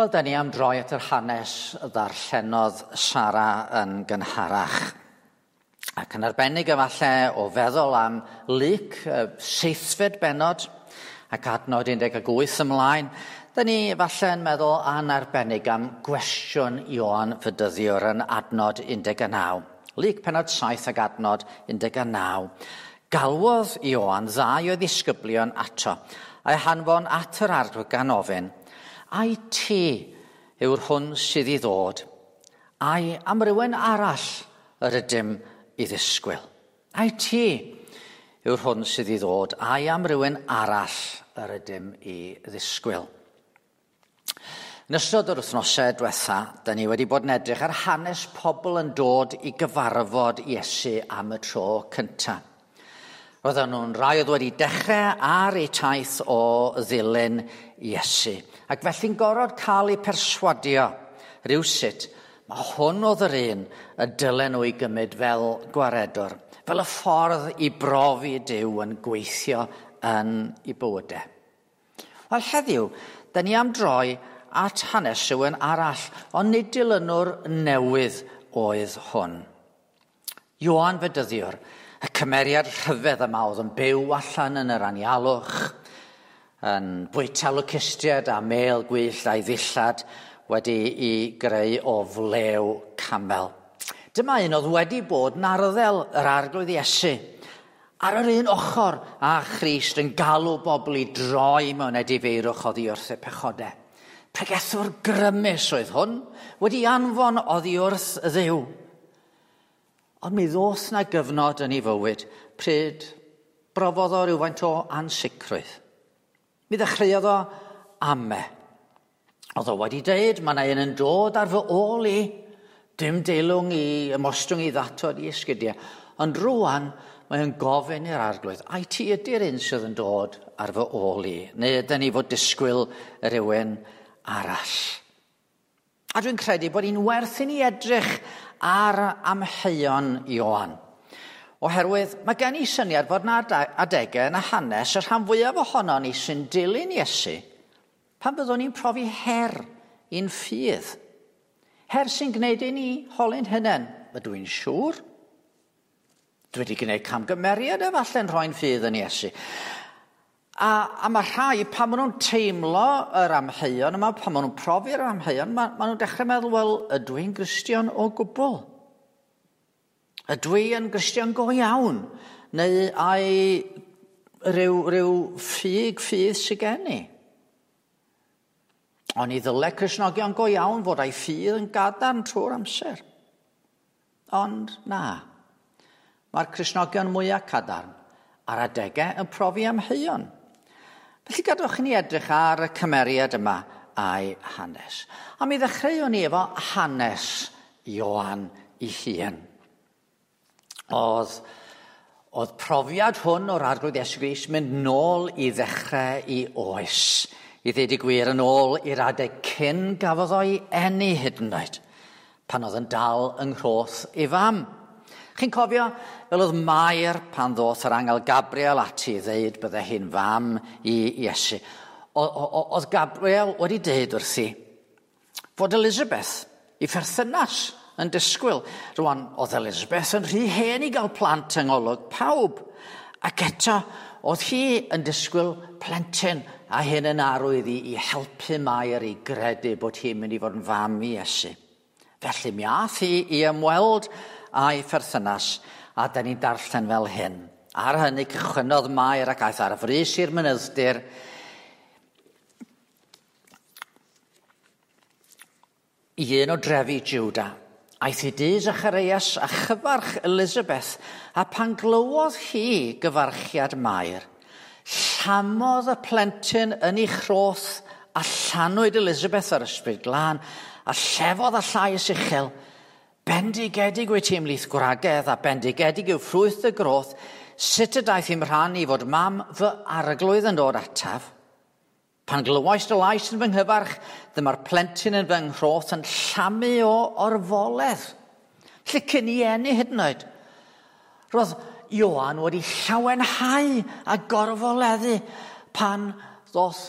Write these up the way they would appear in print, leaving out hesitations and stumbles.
Wel, da ni am droi at yr hanes ddarllenodd Sara yn gynharach. Ac yn arbennig efallai o feddwl am Luc, seithfed bennod, ac adnod 18 ymlaen, da ni efallai yn meddwl yn arbennig am gwestiwn Ioan Fydyddiwr yn adnod 19. Luc pennod 7 ac adnod 19. Galwodd Ioan ddau o ddisgyblion ato, a'i hanfon at yr arglwydd gan ofyn, ai ti yw'r hwn sydd i ddod, ai am rywun arall yr ydym i ddisgwyl. Ai ti yw'r hwn sydd i ddod, ai am rywun arall yr ydym i ddisgwyl. Yn ystod yr wythnosau diwetha, da ni wedi bod yn edrych ar hanes pobl yn dod i gyfarfod Iesu am y tro cyntaf. Roedden nhw'n rai oedd wedi dechrau ar eu taith o ddilyn Iesu. Ac felly'n gorfod cael eu perswadio rhywsut, mae hwn oedd yr un y dylen nhw ei gymryd fel gwaredwr, fel y ffordd i brofi Duw yn gweithio yn ei bywydau. Wel heddiw, da ni am droi at hanes rhywun arall, ond nid dilynwr newydd oedd hwn. Ioan Fedyddiwr, y cymeriad rhyfedd yma oedd yn byw allan yn yr anialwch, yn bwyta locustiaid a mêl gwyllt a'i ddillad wedi i greu o flew camel. Dyma un oedd wedi bod yn arddel yr Arglwydd Iesu, ar yr un ochr â Christ yn galw bobl i droi mewn edifeirwch oddi wrth y pechodau. Pregethwr grymus oedd hwn, wedi anfon oddi wrth Dduw. Ond mi ddoth na gyfnod yn ei fywyd pryd brofodd o rywfaint o ansicrwydd. Mi ddechreuodd o ame. Oedd o wedi deud, mae yna un yn dod ar fy ôl i. Dim deilwng i ymostwng i ddatod i esgidiau. Ond rwan, mae o'n gofyn i'r Arglwydd, ai ti ydy'r un sydd yn dod ar fy ôl i? Neu ydyn ni fod disgwyl rhywun arall? A dwi'n credu bod hi'n werth i ni edrych ar amheuon Ioan. Oherwydd mae gen i syniad fod yna adegau yn y hanes y rhan fwyaf ohono ni sy'n dilyn Iesu pan byddwn ni'n profi her i'n ffydd. Her sy'n gwneud i ni holi'n hunain. Ydw i'n siŵr? Dwi wedi gwneud camgymeriad efallai'n rhoi'n ffydd yn Iesu. A mae rhai, pan maen nhw'n teimlo yr amheuon yma, pan maen nhw'n profi'r amheuon, maen nhw'n dechrau meddwl, wel, ydw i'n Gristion o gwbl? Ydw i yn Gristion go iawn? Neu ai rhyw ffug ffydd sydd gen i? Ond i ddyle Cristnogion go iawn fod â'i ffydd yn gadarn trwy'r amser. Ond na, mae'r Cristnogion mwyaf cadarn ar adegau yn profi amheuon. Felly gadwch i ni edrych ar y cymeriad yma a'i hanes. A mi ddechreuwn ni efo hanes Ioan ei hun. Oedd profiad hwn o'r Arglwydd Iesu Grist mynd nôl i ddechrau i oes. I ddweud y gwir, yn ôl i'r adeg cyn gafodd o'i eni hyd yn oed, pan oedd yn dal yng nghroth ei fam. Chi'n cofio, fel oedd Mair pan ddoth yr angel Gabriel ati i ddeud bydde hi'n fam i Iesu. Oedd Gabriel wedi deud wrthi fod Elizabeth, ei pherthynas, yn disgwyl. Rwan, oedd Elizabeth yn rhy hen i gael plant yng ngolwg pawb. Ac eto, oedd hi yn disgwyl plentyn, a hyn yn arwydd i helpu Mair i gredu bod hi'n mynd i fod yn fam i Iesu. Felly mi ath hi i ymweld a'i pherthynas, a da ni'n darllen fel hyn. Ar hynny cychwynnodd Mair ac aeth ar frys i'r mynydd-dir i un o drefi Juda. Aeth i dŷ Zacharias a chyfarch Elizabeth, a pan glywodd hi gyfarchiad Mair, llamodd y plentyn yn ei chroth a llanwyd Elizabeth ar ysbryd glân, a llefodd â llais uchel, bendigedig wyt ti ymhlith gwragedd, a bendigedig yw ffrwyth y groth, sut y daeth i'm rhan i fod mam fy arglwydd yn dod ataf? Pan glywais dy lais yn fy nghyfarch, dyma'r plentyn yn fy nghroth yn llamu o orfoledd. Lle cyn i eni hyd yn oed. Roedd Ioan wedi llawenhau a gorfoleddu pan ddoth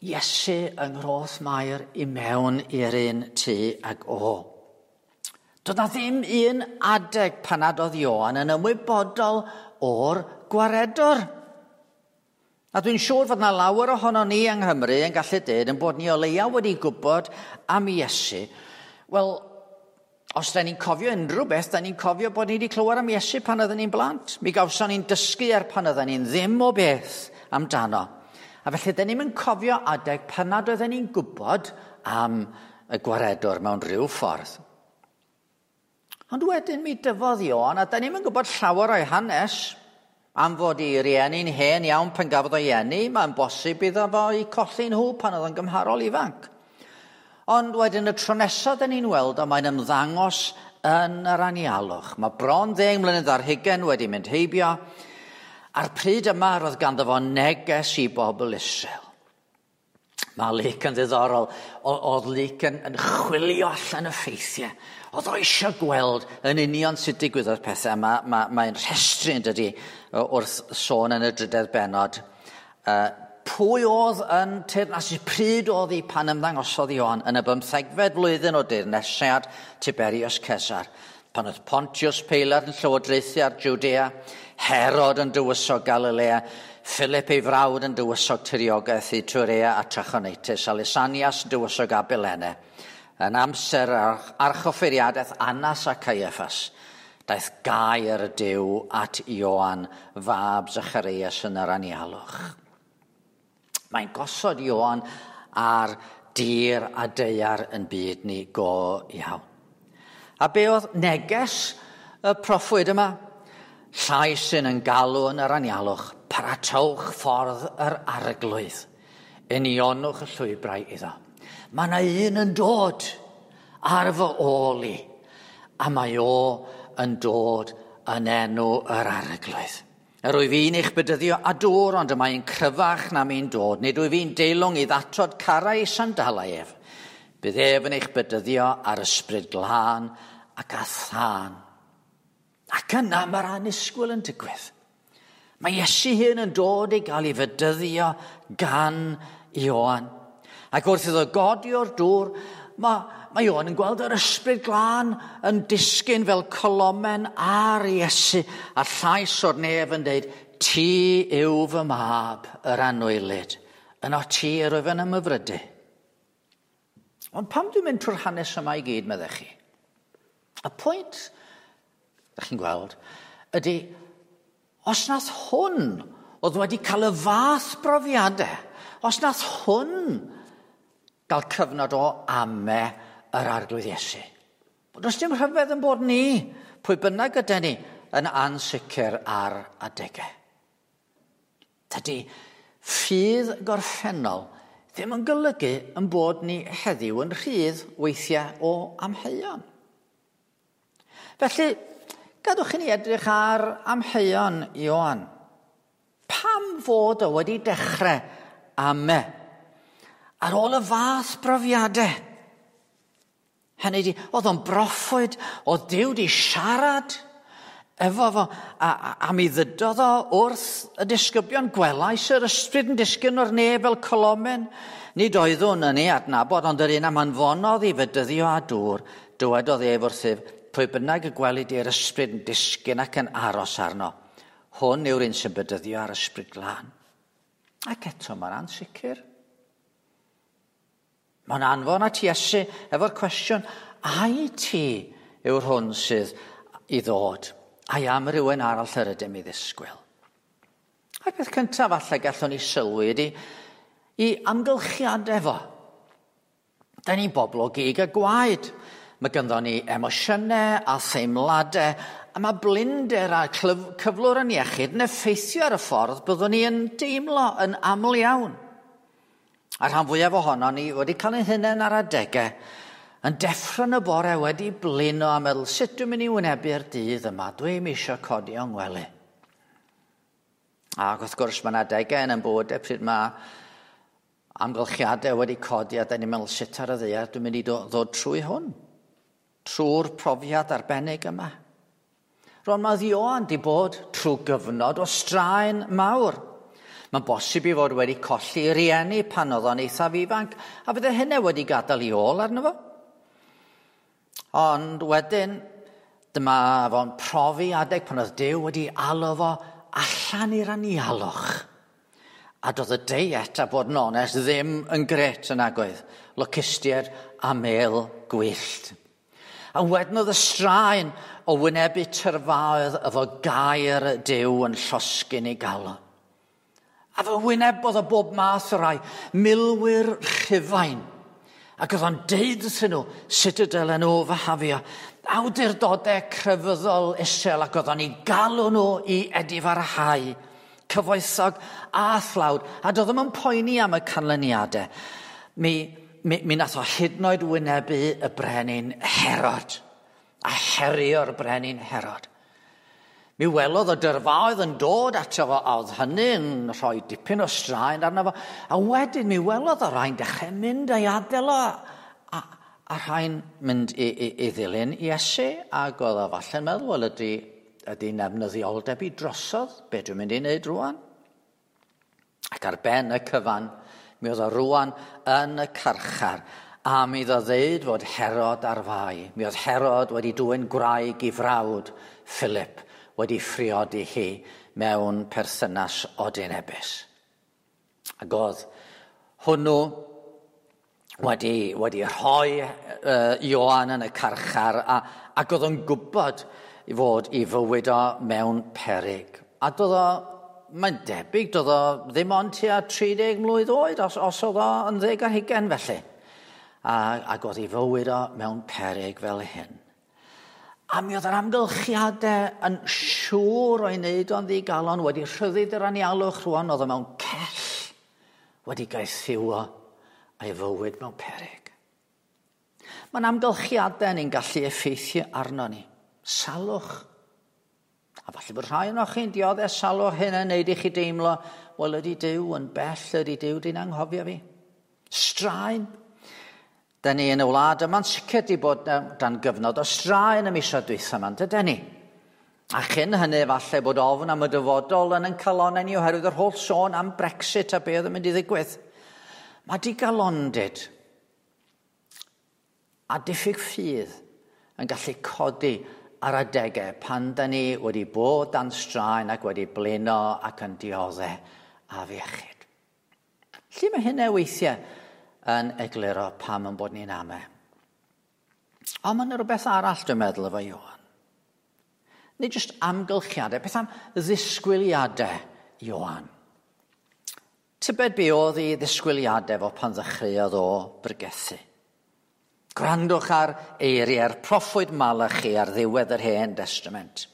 Iesu yng Nghroth Mair i mewn i'r un tŷ ag o. Doedd na ddim un adeg pan nad oedd Ioan yn ymwybodol o'r gwaredwr. A dwi'n siŵr fod na lawer ohono ni yng Nghymru yn gallu dweud yn bod ni o leia wedi gwybod am Iesu. Wel, os da ni'n cofio unrhyw beth, da ni'n cofio bod ni wedi clywed am Iesu pan oedden ni'n blant. Mi gawson ni'n dysgu ar pan oedden ni'n ddim o beth amdano. A felly, da ni'n mynd cofio adeg pan nad oedden ni'n gwybod am y gwaredwr mewn rhyw ffordd. Ond wedyn mi dyfodd Ioan, a da ni'n mynd gwybod llawer o'i hanes, am fod ei rieni'n hen iawn pan gafodd o'i eni, mae'n bosib iddo fo i colli nhw pan oedd yn gymharol ifanc. Ond wedyn y tro nesaf dyn ni'n weld o, mae'n ymddangos yn yr anialwch. Mae bron 10 mlynedd ar hugain wedi mynd heibio, a'r pryd yma roedd ganddo fo neges i bobl Israel. Mae Luc yn ddiddorol. Oedd Luc yn chwilio allan y ffeithiau. Oedd o eisiau gweld yn union sut digwyddodd pethau. Mae'n ma, ma rhestru yn dydy wrth sôn yn y drydedd bennod. Pwy oedd yn teyrnasu? Pryd oedd hi pan ymddangosodd Ioan? Yn y 15fed flwyddyn o deyrnasiad Tiberius Cesar. Pan oedd Pontius Pilate yn llywodraethu ar Judea, Herod yn dywysog Galilea, Philip ei frawd yn dywysog tiriogaeth Iturea a Trachonitis, a Lysanias yn dywysog Abilene. Yn amser archoffeiriadaeth Annas a Caiaffas, daeth gair y Duw at Ioan, fab Zacharias yn yr anialwch. Mae'n gosod Ioan ar dir a daear yn byd ni go iawn. A be oedd neges y proffwyd yma? Llais sy'n yn galw yn yr anialwch, paratowch ffordd yr arglwydd, unionwch y llwybrau iddo. Mae yna un yn dod ar fy ôl i, a mae o yn dod yn enw yr arglwydd. Yr wyf fi'n eich bedyddio a dŵr, ond y mae'n cryfach na mi'n dod. Nid wyf fi'n deilwng i ddatod carau ei sandalau ef. Bydd ef yn eich bedyddio ar ysbryd glân ac â thân. Ac yna mae'r annisgwyl yn digwydd. Mae Iesu hun yn dod i gael ei fedyddio gan Ioan. Ac wrth iddo godi o'r dŵr, mae Ioan yn gweld yr ysbryd glân yn disgyn fel colomen ar Iesu, a llais o'r nef yn dweud, ti yw fy mab, yr anwylyd. Yno ti yr wyf yn ymhyfrydu. Ond pam dwi'n mynd trwy'r hanes yma i gyd, meddech chi? Y pwynt, ydych chi'n gweld, ydy, os nath hwn oedd wedi cael y fath brofiadau, os nath hwn gael cyfnod o ame yr arglwydd Iesu. Does dim rhyfedd yn bod ni, pwy bynnag ydy ni, yn ansicr ar adegau. Tydi ffydd gorffennol ddim yn golygu yn bod ni heddiw yn rhydd weithiau o amheuon. Felly, gadwch i ni edrych ar amheuon Ioan. Pam fod o wedi dechrau ame ar ôl y fath brofiadau? Hynny ydi, oedd o'n broffwyd, oedd Duw di siarad efo fo, a mi ddydodd o wrth y disgyblion, gwelais yr ysbryd yn disgyn o'r nef fel colomen. Nid oeddwn yn ei adnabod, ond yr un am anfonodd i fedyddio â dŵr, dywedodd ef wrthyf, pwy bynnag y gwelid i'r ysbryd yn disgyn ac yn aros arno. Hwn yw'r un sy'n bedyddio ar ysbryd glân. Ac eto mae'n ansicr. Mae'n anfon at Iesu efo'r cwestiwn, ai ti yw'r hwn sydd i ddod? Ai am rhywun arall yr ydym i ddisgwyl? A'r peth cyntaf falle gallwn ni sylwi ydy i amgylchiadau fo. Da ni'n bobl o gig a gwaed. Mae ganddo ni emosiynau a theimladau, a mae blinder a cyflwr yn iechyd yn effeithio ar y ffordd byddwn ni yn deimlo yn aml iawn. A rhan fwyaf ohono ni wedi cael ein hunain ar adegau yn deffro yn y bore wedi blino a meddwl, sut dwi'n mynd i wynebu'r dydd yma? Dwi'm eisiau codi o'n ngwely. Ac wrth gwrs mae yna adegau yn ein bywydau pryd mae amgylchiadau wedi codi a da ni'n meddwl sut ar y ddaear dwi'n mynd i ddod trwy hwn, trwy'r profiad arbennig yma. Rwan mae Ioan di bod trwy gyfnod o straen mawr. Mae'n bosib i fod wedi colli rieni pan oedd o'n eithaf ifanc, a fydde hynny wedi gadael i ôl arno fo. Ond wedyn, dyma fo'n profi adeg pan oedd Duw wedi alw fo allan i'r anialwch. A doedd y deiet, a bod yn onest, ddim yn gret yn agoedd. Locustiaid a mel gwyllt. A wedyn oedd y straen o wynebu tyrfaoedd efo gair Duw yn llosgyn ei galon. A fe wynebodd o bob math o rai milwyr Rhufain. Ac oedd o'n deud wrthyn nhw sut y dylen nhw fyhafio. Awdurdodau crefyddol isel ac oedd o'n eu galw nhw i edifarhau. Cyfoethog a thlawd. A doedd ddim yn poeni am y canlyniadau. Mi, mi, mi nath o hyd yn oed wynebu y brenin Herod. A herio'r brenin Herod. Mi welodd y dyrfaoedd yn dod ato fo, a oedd hynny'n rhoi dipyn o straen arno fo. A wedyn mi welodd o rhai'n dechrau mynd a'i adael o, a, a rhai'n mynd i, i, i ddilyn Iesu, ac oedd o falle'n meddwl, wel ydy, ydy nefnyddioldeb i drosodd, be dwi'n mynd i wneud rwan? Ac ar ben y cyfan, mi oedd o rwan yn y carchar, a mi iddo ddeud fod Herod ar fai. Mi oedd Herod wedi dwyn gwraig i frawd Philip, wedi phriodi hi mewn perthynas odinebus. Ac oedd hwnnw wedi, wedi rhoi Ioan yn y carchar a, ac oedd o'n gwybod i fod i fywyd o mewn peryg. A doedd o, mae'n debyg, doedd o ddim ond tua 30 mlwydd oed, os, os oedd o yn ddeg ar hugain felly. A, ac oedd ei fywyd o mewn peryg fel hyn. A mi oedd yr amgylchiadau yn siŵr o'i wneud o'n ddigalon, wedi rhyddid yr anialwch rwan, oedd o mewn cell, wedi gaethiwo a'i fywyd mewn peryg. Mae'n amgylchiadau ni'n gallu effeithio arno ni. Salwch. A falle bod rhai ohonoch chi'n dioddef salwch hyn yn neud i chi deimlo, wel ydy Duw yn bell, ydy Duw di'n anghofio fi. Straen. Da ni yn y wlad yma'n sicr di bod dan gyfnod o straen y misoedd dwytha yma, dyden ni? A chyn hynny falle bod ofn am y dyfodol yn ein calonnau ni oherwydd yr holl sôn am Brexit a be oedd yn mynd i ddigwydd. Mae digalondid a diffyg ffydd yn gallu codi ar adegau pan da ni wedi bod dan straen ac wedi blino ac yn dioddef afiechyd. Lle mae hynna weithiau yn egluro pam yn bod ni'n ame. Ond mae yna rhywbeth arall dwi'n meddwl efo Ioan. Nid jyst amgylchiadau, beth am ddisgwyliadau Ioan? Tybed be oedd ei ddisgwyliadau fo pan ddechreuodd o bregethu? Gwrandwch ar eiriau'r proffwyd Malachi ar ddiwedd yr Hen Testament.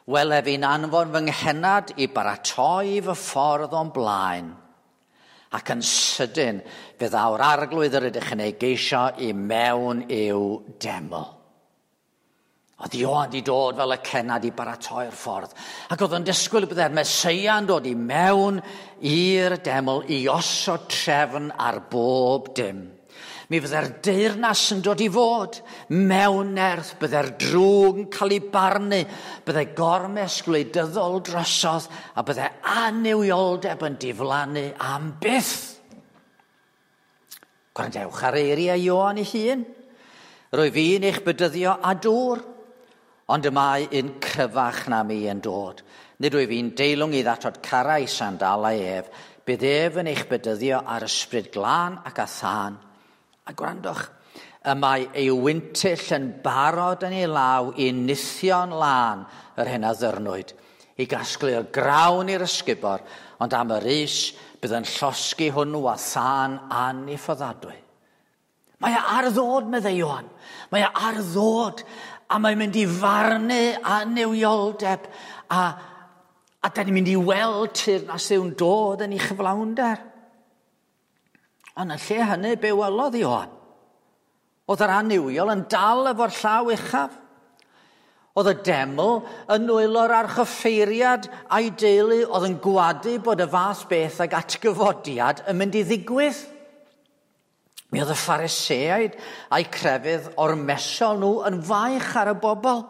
Wele fi'n anfon fy nghennad i baratoi fy ffordd o'n blaen. Ac yn sydyn, fe ddaw'r arglwydd yr ydych yn ei geisio i mewn i'w deml. Oedd Ioan di dod fel y cennad i baratoi'r ffordd. Ac oedd yn disgwyl byddai'r Meseia yn dod i mewn i'r deml i osod trefn ar bob dim. Mi fyddai'r deyrnas yn dod i fod mewn nerth, byddai'r drwg yn cael ei barnu, byddai gormes gwleidyddol drosodd a byddai annuwioldeb yn diflannu am byth. Gwrandewch ar eiriau Ioan ei hun. Rwyf fi'n eich bedyddio â dŵr, ond y mae un cryfach na mi yn dod. Nid wyf fi'n deilwng i ddatod carau sandalau ef, bydd ef yn eich bedyddio ar ysbryd glân ac â thân. A gwrandwch, y mae ei wyntyll yn barod yn ei law i nithio'n lân yr hyn a ddyrnwyd, i gasglu'r grawn i'r ysgubor, ond am yr is bydd yn llosgi hwnnw â thân anniffyddadwy. Mae e ar ddod, meddai Ioan. Mae e ar ddod, a mae'n mynd i farnu annuwioldeb, a, a da ni'n mynd i weld teyrnas Dduw'n dod yn ei chyflawnder. Ond yn lle hynny, be welodd Ioan? Oedd yr annuwiol yn dal efo'r llaw uchaf. Oedd y deml yn nwylo'r archoffeiriad a'i deulu oedd yn gwadu bod y fath beth ag atgyfodiad yn mynd i ddigwydd. Mi oedd y Phariseaid a'i crefydd ormesol nhw yn faich ar y bobl.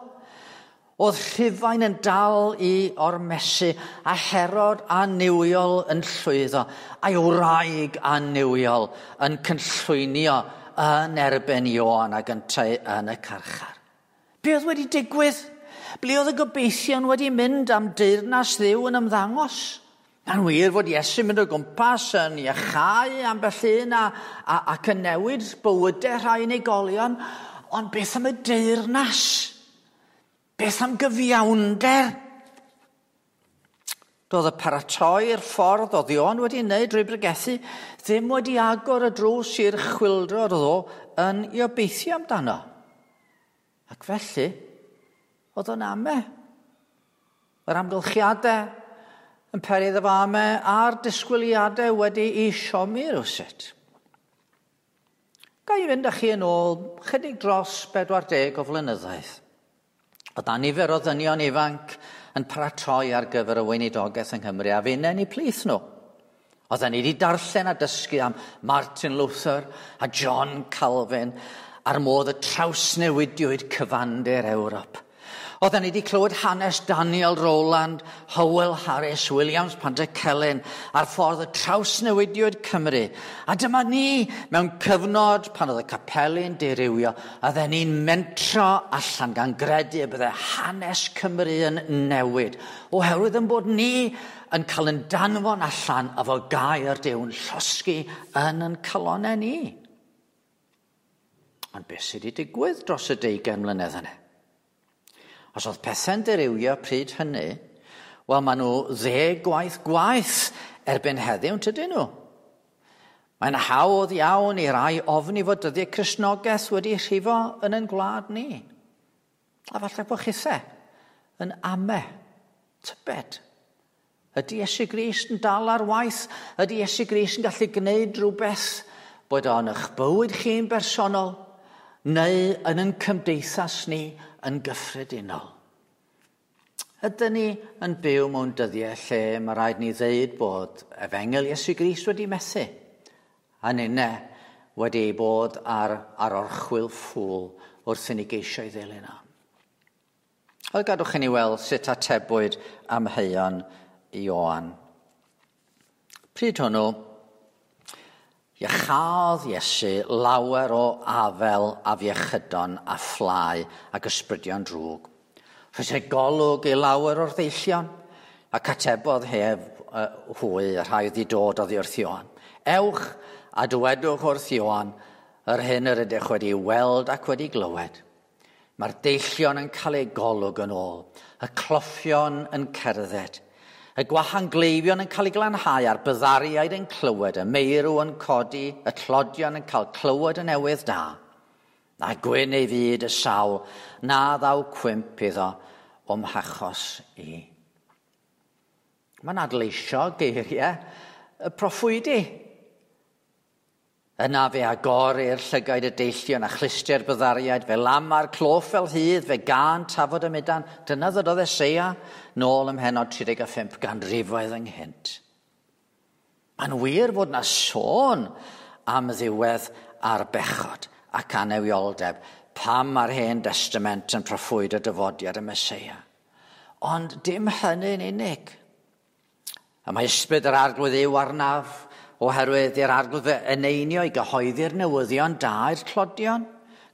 Oedd Rhufain yn dal i ormesu a Herod annuwiol yn llwyddo, a'i wraig annuwiol yn cynllwynio yn erbyn Ioan ac yntau yn y carchar. Be oedd wedi digwydd? Ble oedd y gobeithion wedi mynd am deyrnas Dduw yn ymddangos? Mae'n wir fod Iesu'n mynd o gwmpas yn iachau ambell un ac yn newid bywydau rhai unigolion, ond beth am y deyrnas? Beth am gyfiawnder? Doedd y paratoi'r ffordd oedd Ioan wedi wneud drwy bregethu ddim wedi agor y drws i'r chwyldro oedd o yn ei obeithio amdano. Ac felly, oedd o'n ame. Yr amgylchiadau yn peri iddo fo ame a'r disgwyliadau wedi ei siomi rywsut. Ga i fynd â chi yn ôl chydig dros 40 o flynyddoedd. Oedd 'na nifer o ddynion ifanc yn paratoi ar gyfer y weinidogaeth yng Nghymru a finne yn eu plith nhw. Oedden ni wedi darllen a dysgu am Martin Luther a John Calvin a'r modd y trawsnewidiwyd cyfandir Ewrop. Oedden ni wedi clywed hanes Daniel Rowland, Howell Harris, Williams Pantycelyn a'r ffordd y trawsnewidiwyd Cymru. A dyma ni mewn cyfnod pan oedd y capeli'n dirywio, a oedden ni'n mentro allan gan gredu y bydde hanes Cymru yn newid, oherwydd yn bod ni yn cael yn danfon allan efo gair Duw'n llosgi yn yn calonnau ni. Ond beth sydd wedi digwydd dros y 20 mlynedd yna? Os oedd pethau'n dirywio pryd hynny, wel, maen nhw 10 gwaith gwaeth erbyn heddiw, tydyn nhw? Mae'n hawdd iawn i rai ofni fod dyddiau Cristnogaeth wedi rhifo yn ein gwlad ni. A falle bod chithe yn ame, tybed. Ydy Iesu Grist yn dal ar waith? Ydy Iesu Grist yn gallu gwneud rhywbeth bod o'n eich bywyd chi'n bersonol neu yn ein cymdeithas ni yn gyffredinol? Ydyn ni yn byw mewn dyddiau lle mae rhaid ni ddeud bod efengyl Iesu Grist wedi methu, a ninne wedi bod ar orchwyl ffŵl wrth i ni geisio ei ddilyn o. Wel, gadwch i ni weld sut atebwyd amheuon Ioan. Pryd hwnnw, iachaodd Iesu lawer o afel afiechydon a phlâu ac ysbrydion drwg. Rhoes ei golwg i lawer o'r ddeillion, ac atebodd hef hwy y rhai oedd i dod oddi wrth Ioan. Ewch a dywedwch wrth Ioan yr hyn yr ydych wedi weld ac wedi glywed. Mae'r deillion yn cael eu golwg yn ôl, y cloffion yn cerdded, y gwahangleifion yn cael eu glanhau a'r byddariaid yn clywed, y meirw yn codi, y tlodion yn cael clywed y newydd da. A gwyn ei fyd y sawl, na ddaw cwymp iddo o'm hachos i. Mae'n adleisio geiriau y proffwydi. Yna fe agorir llygaid y deillion a chlustiau'r byddariaid, fe lama'r cloff fel hydd, fe gân tafod y mudan. Dyna ddydodd Eseia nôl ym mhennod 35 ganrifoedd ynghynt. Mae'n wir fod na sôn am ddiwedd ar bechod ac anewioldeb pam mae'r Hen Testament yn proffwydo dyfodiad y Meseia. Ond dim hynny'n unig. A mae ysbryd yr Arglwydd yw arnaf, oherwydd i'r Arglwydd fy eneinio i gyhoeddi'r newyddion da i'r tlodion,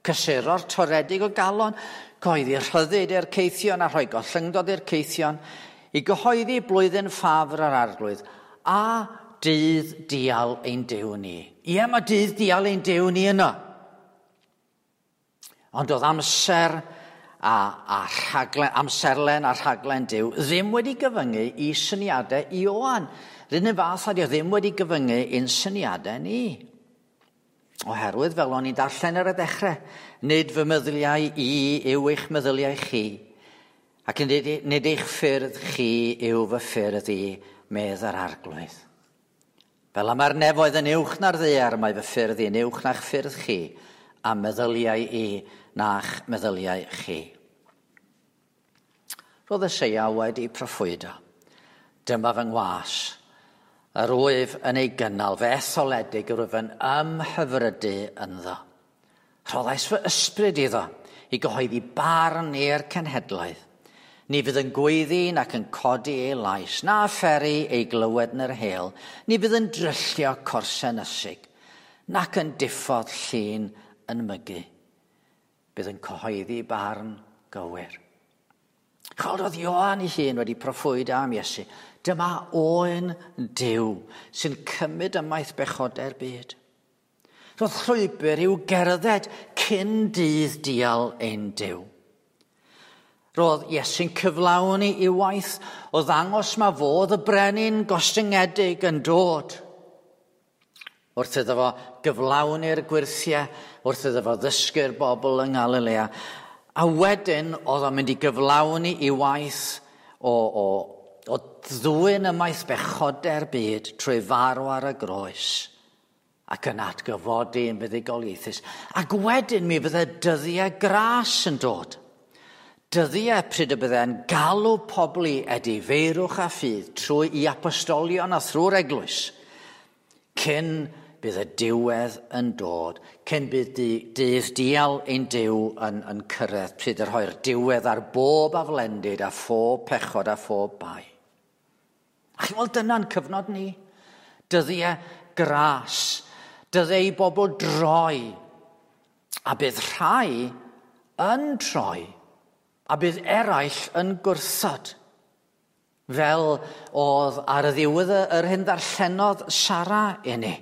cysuro'r toredig o galon, cyhoeddi rhyddid i'r caethion a rhoi gollyngdod i'r caethion, i gyhoeddi blwyddyn ffafr yr Arglwydd a dydd dial ein Duw ni. Ie, mae dydd dial ein Duw ni yno. Ond oedd amser a rhaglen, amserlen a rhaglen Duw ddim wedi gyfyngu i syniadau Ioan. R'un un fath a dio ddim wedi gyfyngu i'n syniadau ni. Oherwydd, fel o'n i'n darllen ar y dechrau, nid fy meddyliau i yw eich meddyliau chi, ac nid eich ffyrdd chi yw fy ffyrdd i, medd yr Arglwydd. Fel y mae'r nefoedd yn uwch na'r ddaear, mae fy ffyrdd i'n uwch na'ch ffyrdd chi, a meddyliau i na'ch meddyliau chi. Roedd Eseia wedi proffwydo. Dyma fy ngwas, yr wyf yn ei gynnal, fy etholedig yr wyf yn ymhyfrydu ynddo. Rhoddais fy ysbryd iddo i gyhoeddi barn i'r cenhedloedd. Ni fydd yn gweiddi nac yn codi ei lais, na pheri ei glywed yn yr heol. Ni fydd yn dryllio corsen ysig, nac yn diffodd llun yn mygu. Bydd yn cyhoeddi barn gywir. Chweld oedd Ioan ei hun wedi proffwydo am Iesu. Dyma oen Duw sy'n cymryd ymaith bechodau'r byd. Roedd llwybr i'w gerdded cyn dydd dial ein Duw. Roedd Iesu'n cyflawni ei waith o ddangos ma fodd y brenin gostyngedig yn dod. Wrth iddo fo gyflawni'r gwyrthiau, wrth iddo fo ddysgu'r bobl yng Nghalilea. A wedyn oedd o'n mynd i gyflawni ei waith o ddwyn ymaith bechodau'r byd trwy farw ar y groes ac yn atgyfodi yn fuddugoliaethus. Ac wedyn mi fydde dyddiau gras yn dod. Dyddiau pryd y bydde'n galw pobl i edifeirwch a ffydd trwy i apostolion a thrwy'r eglwys, cyn bydd y diwedd yn dod, cyn bydd dydd dial ein Duw yn cyrraedd, pryd y rhoi'r diwedd ar bob aflendid a phob pechod a phob bai. A chi'n weld dyna'n cyfnod ni. Dyddiau gras, dyddiau i bobl droi, a bydd rhai yn troi, a bydd eraill yn gwrthod. Fel oedd ar y ddiwedd yr hyn ddarllenodd Sara i ni.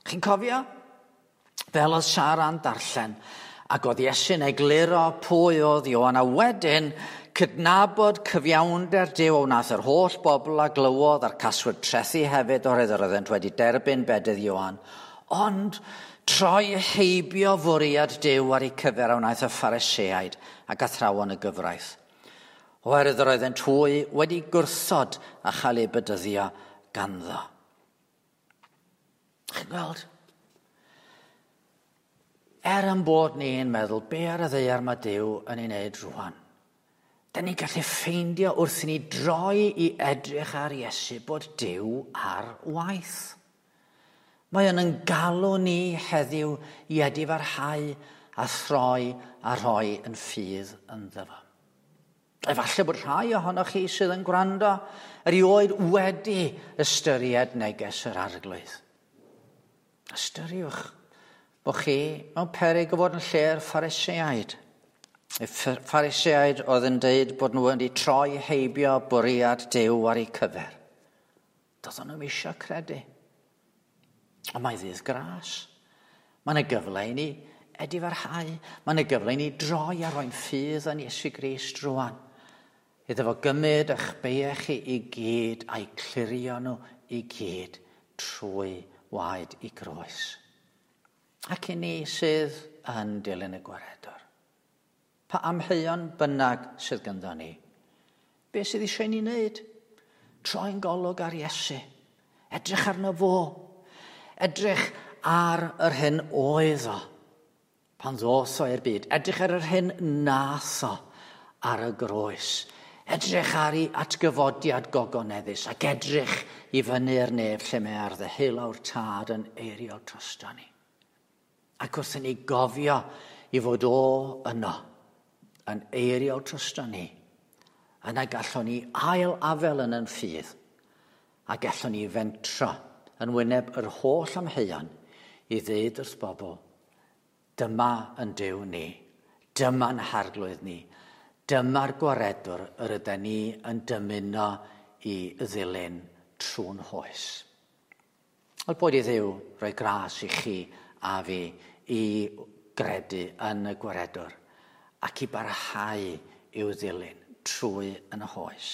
Chi'n cofio? Fel oedd Sara'n darllen, ac oedd Iesu'n egluro pwy oedd Ioan, a wedyn cydnabod cyfiawnder Duw a wnaeth yr holl bobl a glywodd a'r caswyd trethu hefyd oherwydd yr oeddent wedi derbyn bedydd Ioan. Ond troi heibio fwriad Duw ar eu cyfer a wnaeth y Phariseaid ac athrawon y gyfraith. Oherwydd yr oeddent hwy wedi gwrthod a chael eu bedyddio ganddo. Chi'n gweld? Er yn bod ni'n meddwl be ar y ddaear mae Duw yn ei wneud rwan, da ni'n gallu ffeindio wrth i ni droi i edrych ar Iesu bod Duw ar waith. Mae o'n yn galw ni heddiw i edifarhau a throi a rhoi yn ffydd ynddo fo. Efallai bod rhai ohonoch chi sydd yn gwrando erioed wedi ystyried neges yr Arglwydd. Ystyriwch bod chi mewn peryg o fod yn lle'r Phariseaid. Y Phariseaid oedd yn deud bod nhw wedi troi heibio bwriad Duw ar eu cyfer. Doedden nhw'm eisiau credu. Ond mae ddydd gras. Mae yna gyfle i ni edifarhau. Mae yna gyfle i ni droi a roi'n ffydd yn Iesu Grist rwan. Iddo fo gymryd eich beiau chi i gyd a'i clirio nhw i gyd trwy waed i groes. Ac i ni sydd yn dilyn y gwaredwr. Pa amheuon bynnag sydd gyda ni, be sydd eisiau ni wneud? Troi'n golwg ar Iesu. Edrych arno fo. Edrych ar yr hyn oedd o pan ddoth o i'r byd. Edrych ar yr hyn nath o ar y groes. Edrych ar ei atgyfodiad gogoneddus ac edrych i fyny'r nef lle mae ar ddeheulaw'r Tad yn eiriol drosto ni. Ac wrth i ni gofio i fod o yno yn eiriol drosto ni, yna gallwn ni ail afel yn yn ffydd a gallwn ni fentro yn wyneb yr holl amheuon i ddeud wrth bobl, dyma yn Duw ni, dyma'n harglwydd ni, dyma'r gwaredwr yr ydyn ni yn dymuno i ddilyn trwy'n hoes. Wel, boed i Dduw roi gras i chi a fi i gredu yn y gwaredwr ac i barhau i'w ddilyn trwy yn hoes.